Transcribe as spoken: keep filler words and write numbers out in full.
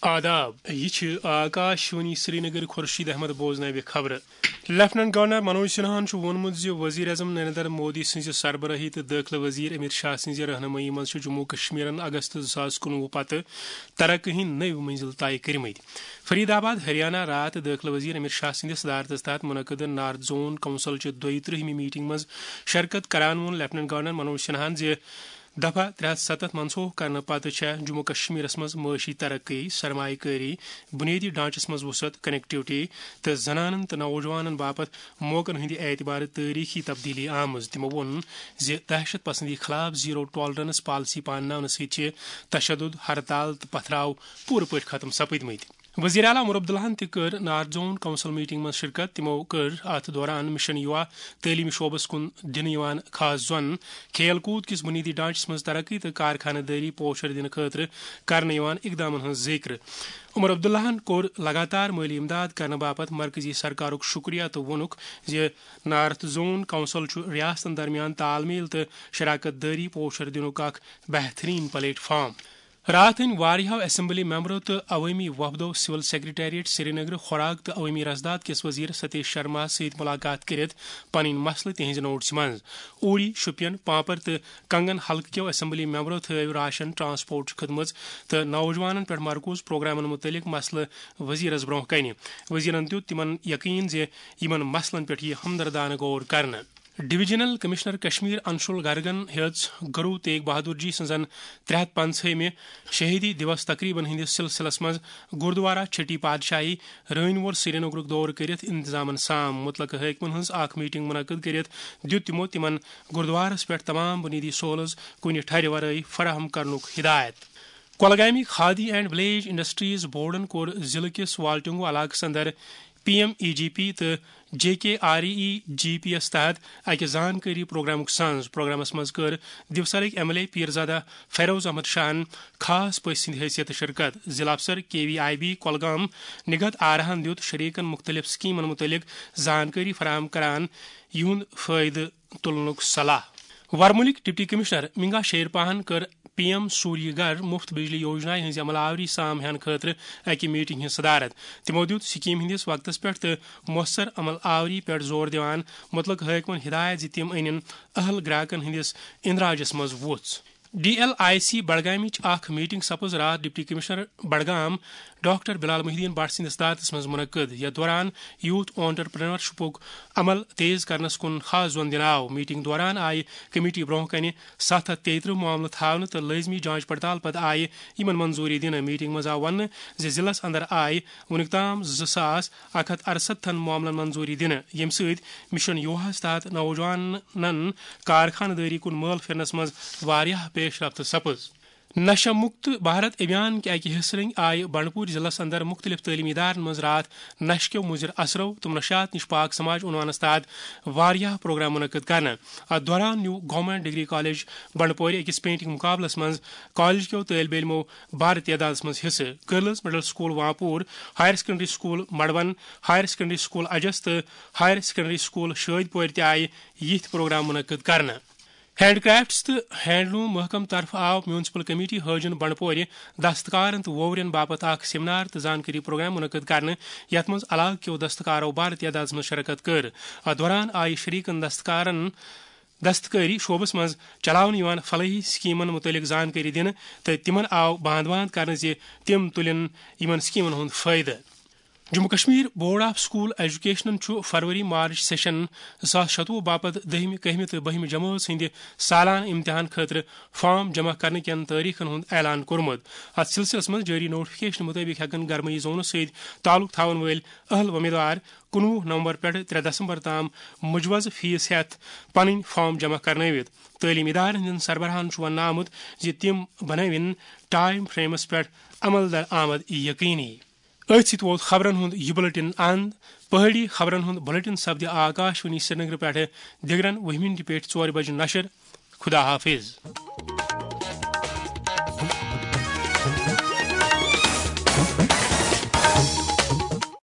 آداب، یہِ چھِ آکاش وانی سرینگر۔ خورشید احمد بوزناوِ خبرٕ۔ لیفٹیننٹ گورنر منوج سنہاہن چھُ ووٚنمُت زِ وزیر اعظم نریندر مودی سٕنٛزِ سربرٲہی تہٕ دٲخلہٕ وزیر امت شاہ سٕنٛزِ رہنمٲیی منٛز چھُ جموں کشمیرن اگست زٕ ساس کُنوُہ پتہٕ ترقی ہٕنٛدۍ نٔوۍ منزل طے کٔرمٕتۍ۔ فرید آباد، ہریانہ، راتھ دٲخلہٕ وزیر امت شاہ سٕنٛدِ صدارتس تحت منعقد نارتھ زون کونسل چہِ دۄیہِ ترٕٛہمہِ میٹنگ منٛز شرکت کران ووٚن لیفٹیننٹ گورنر منوج سنہاہن زِ دفعہ ترٛےٚ ہتھ ستتھ منسوخ کرنہٕ پتہٕ چھےٚ جموں کشمیرس منٛز معاشی ترقی، سرمایہ کٲری، بنیٲدی ڈھانچس منٛز وسعت، کنیکٹیوٹی تہٕ زنانن تہٕ نوجوانن باپتھ موقعن ہٕنٛدِ اعتبارٕ تٲریخی تبدیلی آمٕژ۔ تِمو ووٚن زِ دہشت پسندی خلاف زیرو ٹالرنس پالیسی پانناونہٕ سۭتۍ چھِ تشدد، ہرتال تہٕ پتھراو پوٗرٕ پٲٹھۍ ختم سپٕدمٕتۍ۔ وزیر اعلیٰ عمر عبداللہن تہِ کٔر نارتھ زون کونسل میٹنگ منٛز شرکت۔ تِمو کٔر اتھ دوران مشن یووا تعلیمی شعبس کُن دِنہٕ یِوان خاص زون، کھیل کوٗد کِس بنیٲدی ڈھانچس منٛز ترقی تہٕ کارخانہٕ دٲری پوچھر دِنہٕ خٲطرٕ کرنہٕ یِوان اقدامن ہٕنٛز ذِکر۔ عمر عبداللہن کوٚر لگاتار مٲلی امداد کرنہٕ باپتھ مرکزی سرکارُک شُکریہ تہٕ ووٚنُکھ زِ نارتھ زون کونسل چھُ ریاستن درمیان تال میل تہٕ شراکت دٲری پوچھر دِنُک اکھ بہترین پلیٹ فارم۔ راتھ أنۍ واریاہو اسمبلی ممبرو تہٕ عوٲمی وفدو سول سیکرٹریٹ سرینگر، خوراک تہٕ عوٲمی رسداد کِس وزیر ستیش شرما سۭتۍ ملاقات کٔرِتھ پنٕنۍ مسلہٕ تِہنزِ نوٹسہِ منٛز۔ اوٗڑی، شوپین، پانپر تہٕ کنگن حلقہٕ کیو اسمبلی ممبرو تھٲوۍ راشن، ٹرانسپورٹ خدمژ تہٕ نوجوانن پٮ۪ٹھ مرکوز پروگرامن متعلق مسلہٕ وزیرس برونٛہہ کنہِ۔ وزیرن دیُت تِمن یقین زِ یِمن مسلن پٮ۪ٹھ یِیہِ ہمدردانہٕ غور کرنہٕ۔ ڈویژنل کمشنر کشمیر انشول گرگن ہیٚژ گرو تیگ بہادر جی سٕنٛزن ترٛےٚ ہتھ پنٛژاہمہِ شہیدی دیوس تقریبن ہٕنٛدِس سلسلس منٛز گردوارہ چھٹی پادشاہی رٲنۍ وول سرینگرُک دورٕ کٔرِتھ انتظامن سام۔ متعلقہٕ حٲکمن ہٕنٛز اکھ میٹنگ منعقد کٔرِتھ دیُت تِمو تِمن گردوارس پٮ۪ٹھ تمام بنیٲدی سہولژ کُنہِ ٹھرِ ورٲے فراہم کرنُک ہدایت۔ کۄلگامٕکۍ کھادی اینڈ ولیج انڈسٹریز بورڈن کوٚر ضلعہٕ کِس والٹنگو علاقس اندر P M E G P تہٕ J K R E G P یَس تحت اَکہِ زانکٲری پروگرامُک سنز۔ پروگرامَس منٛز کٔر دیوسرٕکۍ M L A Peerzada Feroz Ahmad شاہَن خاص پٔژھۍ سٕنٛدِ حیثیتہٕ شرکت۔ ضلع افسر K V I B Kulgam Nighat آراہَن دیُت شریکَن مُختٔلِف سکیمَن مُتعلِق زانکٲری فراہم کران یِہُنٛد فٲیدٕ تُلنُک صلاح۔ ورمُلٕکۍ ڈپٹی کمشنر منگا شیرپاہَن کٔر پی ایم سوریہ گھر مفت بجلی یوجنا ہٕنٛزِ عمل آوری سام ہٮ۪نہٕ خٲطرٕ اَکہِ میٹنگ ہٕنٛز صدارت۔ تِمو دیُت سکیمہِ ہٕنٛدِس وقتس پٮ۪ٹھ تہٕ مؤثر عمل آوری پٮ۪ٹھ زور دِوان مُتعلقہٕ حٲکمن ہدایت زِ تِم أنِن اہل گراکن ہٕنٛدِس اندراجس منٛز وُژھ۔ ڈی ایل آئی سی بڈگامٕچ اکھ میٹنگ سپٕز راتھ ڈپٹی کمشنر بڈگام ڈاکٹر بلال محی الدین بٹ سٕنٛدِس صدارتس منٛز منعقد۔ یتھ دوران یوتھ آنٹرپرینرشپُک عمل تیز کرنس کُن خاص زون دِنہٕ آو۔ میٹنگ دوران آیہِ کمیٹی برونٛہہ کنہِ ستھ ہتھ تیٚیہِ ترٕٛہ معاملہٕ تھاونہٕ تہٕ لٲزمی جانچ پڑتال پتہٕ آیہِ یِمن منظوٗری دِنہٕ۔ میٹنگ منٛز آو وننہٕ زِ ضلعس اندر آیہِ وُنیُک تام زٕ ساس اکھ ہتھ ارستتھن معاملن منظوٗری دِنہٕ، ییٚمہِ سۭتۍ مشن یوہاہس تحت نوجوانن کارخانہٕ دٲری کُن مٲل پھِرنس منٛز واریاہ پیش رفت سپٕز۔ نشہ مکت بھارت ابھیان کہِ اکہِ حصہٕ رٔنگۍ آیہِ بنڈپور ضلعس اندر مختلف تعلیمی ادارن منٛز راتھ نشہٕ کیو مضر اثرو تہٕ نشات نش پاک سماج عنوانس تحت واریاہ پروگرام منعقد کرنہٕ۔ اتھ دوران نیوٗ گورنمنٹ ڈگری کالج بنڈپورِ أکِس پینٹنگ مقابلس منٛز کالج کیو طٲلبہِ علمو بارٕ تعدادس منٛز حصہٕ۔ Girls middle school Wanpur, higher secondary school Maron, higher secondary school Ajas تہٕ ہایر سیکنڈری سکول شٲدۍ پورِ تہِ آیہِ یِتھۍ پروگرام منعقد کرنہٕ۔ ہینڈ کرافٹس تہٕ ہینڈلوم محکمہٕ طرفہٕ آو میونسپل کمیٹی حٲجن بنڈپورِ دستکارن تہٕ ووورین باپتھ اکھ سیمینار تہٕ زانکٲری پروگرام منعقد کرنہٕ، یتھ منٛز علاقہٕ کیو دستکارو بارٕ تعدادس منٛز شرکت کٔر۔ اتھ دوران آیہِ شریکن دستکارن دستکٲری شعبس منٛز چلاونہٕ یِوان فلاحی سکیمن مُتعلق زانکٲری دِنہٕ تہٕ تِمن آو باند باند کرنہٕ زِ تِم تُلن یِمن سکیمن ہُنٛد فٲیدٕ۔ Jammu Kashmir board of school ایجوکیشنن چھُ فروری مارچ سیشن زٕ ساس شتوُہ باپتھ دٔہمہِ، کٔہمہِ تہٕ بٔہمہِ جمٲژ ہٕنٛدِ سالانہٕ امتحان خٲطرٕ فارم جمع کرنہٕ کٮ۪ن تٲریخن ہُنٛد اعلان کوٚرمُت۔ اتھ سلسلس منٛز جٲری نوٹیفکیشن مُطٲبِق ہٮ۪کن گرمٲیی زونہٕ سۭتۍ تعلق تھاوَن وٲلۍ اہل وۄمیدوار کُنوُہ نومبر پٮ۪ٹھ ترٛےٚ دسمبر تام مجوز فیس ہٮ۪تھ پنٕنۍ فارم جمع کرنٲوِتھ۔ تعلیمی ادارن ہٕنٛدٮ۪ن سربراہن چھُ وننہٕ آمُت زِ تِم بنٲوِن ٹائم فریمس پٮ۪ٹھ عمل درآمد یقینی۔ أتھۍ سۭتۍ ووت خبرن ہُنٛد یہِ بلیٹن اند۔ پہٲڑی خبرن ہُنٛد بلیٹن سپدِ آکاش وانی سرینگر پٮ۪ٹھٕ دِگرن وُہہِ مِنٹہِ پٮ۪ٹھ ژورِ بجہِ نشر۔ خدا حافظ۔